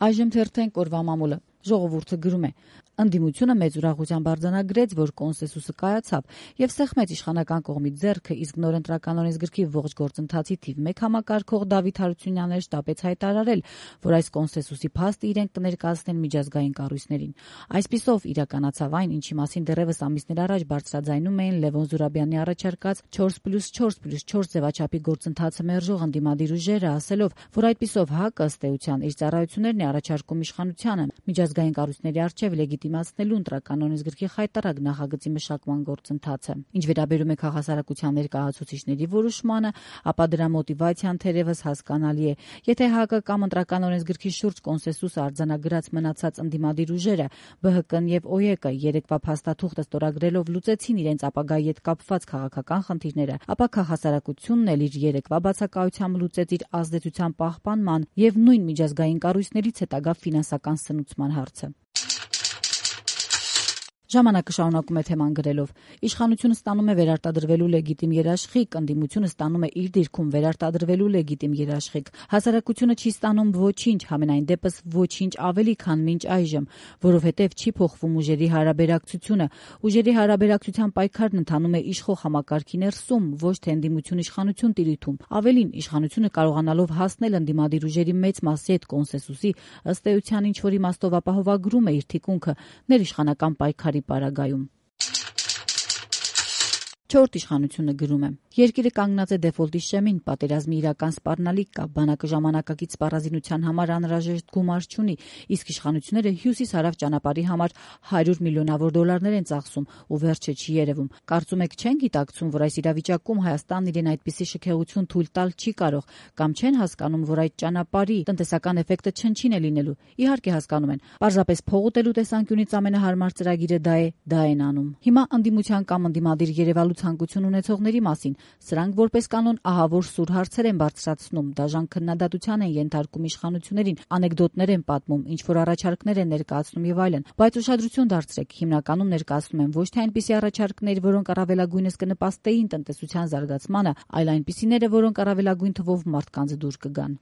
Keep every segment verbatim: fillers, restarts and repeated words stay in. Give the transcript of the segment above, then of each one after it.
Այժմ թերթենք օրվա մամուլը։ Ժողովուրդը գրում է. ընդդիմությունը մեծ ուրախությամբ արձանագրեց, որ կոնսենսուսը կայացավ եւ սեղմեց իշխանական կողմից ձեռքը, իսկ նոր ընտրական օրենսգրքի ողջ գործընթացի թիվ մեկ համակարգող Դավիթ Հարությունյանն շտապեց հայտարարել, որ այս կոնսենսուսի փաստը իրենք կներկայացնեն միջազգային կառույցներին։ Այսպիսով իրականացավ այն, ինչի մասին դեռևս ամիսներ առաջ բարձրաձայնում էին Լևոն Զուրաբյանի առաջարկած չորս պլյուս չորս պլյուս չորս ձևաչափի գործընթացը մերժող ընդդիմադիր ուժերը, ասելով, որ այդպիսով ՀԱԿ-ը ըստ էության իր ծառայություններն է առաջարկում իշխանությանը միջազգային կառույցների առջև լեգիտիմացնելու ընտրական օրենսգրքի խայտարակ նախագծի մշակման գործընթացը։ Ինչ վերաբերում է քաղաքասարակության ներկայացուցիչների որոշմանը, ապա դրա մոտիվացիան թերևս հասկանալի է։ Եթե ՀԱԿ-ը կամ ընտրական օրենսգրքի շուրջ կոնսենսուս արձանագրած մնացած ընդդիմադիր ուժերը ԲՀԿ-ն եւ ՕԵԿ-ը երեկվա փաստաթուղթը ստորագրելով լուծեցին իրենց ապագայի հետ կապված քաղաքական խնդիրները, ապա քաղաքասարակությունն էլ իր երեկվա բացակայությամբ լուծեց իր ազդեցության պահպանման եւ նույն միջազգային կառույցներից հետագա ֆինանսական սնուցման հարցը։ Ժամանակը շարունակում է թեման գրելով. իշխանությունը ստանում է վերարտադրվելու լեգիտիմ երաշխիք, ընդդիմությունը ստանում է իր դիրքում վերարտադրվելու լեգիտիմ երաշխիք։ Հասարակությունը չի ստանում ոչինչ, համենայն դեպս ոչինչ ավելի, քան մինչ այժմ, որովհետև չի փոխվում ուժերի հարաբերակցությունը։ Ուժերի հարաբերակցության պայքարն ընթանում է իշխող համակարգի ներսում, ոչ թե ընդդիմություն-իշխանություն տիրույթում։ Ավելին, իշխանությունը կարողանալով հասնել ընդդիմադիր ուժերի մեծ մասի հետ կոնսենսուսի, ըստ էության ինչ-որ իմաստով ապահովագրում է իր թիկունքը ներիշխանական պայքարի պարագայում։ Չորրորդ իշխանությունը գրում է. երկիրը կանգնած է դեֆոլտի շեմին, պատերազմի իրական սպառնալիք կա, բանակը ժամանակակից սպառազինության համար անհրաժեշտ գումար չունի, իսկ իշխանությունները հյուսիս-հարավ ճանապարհի համար հարյուր միլիոնավոր դոլարներ են ծախսում ու վերջը չի երևում։ Կարծում եք չեն գիտակցում, որ այս իրավիճակում Հայաստանն իրեն այդպիսի շքեղություն թույլ տալ չի կարող, կամ չեն հասկանում, որ այդ ճանապարհի տնտեսական էֆեկտը չնչին է լինելու։ Իհարկե հասկանում են, պարզապես փող ուտելու տեսանկյունից ամենահարմար ծրագիրը դա է, դա են անում։ Հիմա ընդդիմության կամ ընդդիմադիր Երևալու ցանկություն ունեցողների մասին սրանք որպես կանոն ահավոր սուր հարցեր են բարձրացնում, դաժան քննադատության են ենթարկում իշխանություններին, անեկդոտներ են պատմում, ինչ-որ առաջարկներ են ներկայացնում եւ այլն, բայց ուշադրություն դարձրեք, հիմնականում ներկայացնում են ոչ թե այնպիսի առաջարկներ, որոնք առավելագույնս կնպաստեին տնտեսության զարգացմանը, այլ այնպիսիները, որոնք առավելագույն թվով մարդկանց դուր կգան։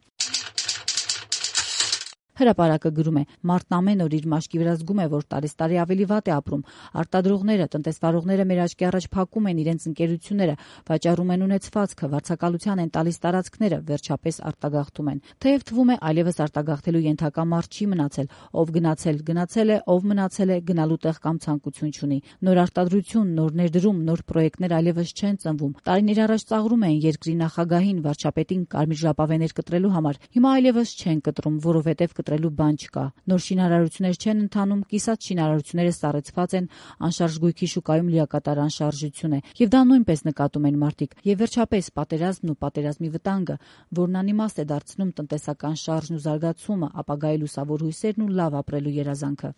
Հրապարակը գրում է. մարդն ամեն օր իր մաշկի վրա զգում է, որ տարեստարի ավելի վատ է ապրում։ Արտադրողները, տնտեսվարողները մեր աչքի առաջ փակում են իրենց ընկերությունները, վաճառում են ունեցվածքը, վարձակալության են տալիս տարածքները, վերջապես արտագաղթում են։ Թեև թվում է այլևս արտագաղթելու ենթակա մարդ չի մնացել, ով գնացել, գնացել է, ով մնացել է, գնալու տեղ կամ ցանկություն չունի։ Նոր արտադրություն, նոր ներդրում, նոր պրոյեկտներ այլևս չեն ծնվում։ Տարիներ առաջ ծաղրում էին երկրի նախագահին, վարչապետին կարմիր ժապավեներ կտրելու համար։ Հիմա այլևս չեն կտրում, որովհետև կտրելու բան չկա։ Նոր շինարարություններ չեն ընթանում, կիսած շինարարությունները սառեցված են, անշարժ գույքի շուկայում լիակատար անշարժություն է։ Եվ դա նույնպես նկատում են մարդիկ։ Եվ վերջապես պատերազմն ու պատերազմի վտանգը, որն անիմաստ է դարձնում տնտեսական շարժն ու զարգացումը, ապագայի լուսավոր հույսերն ու լավ ապրելու երազանքը։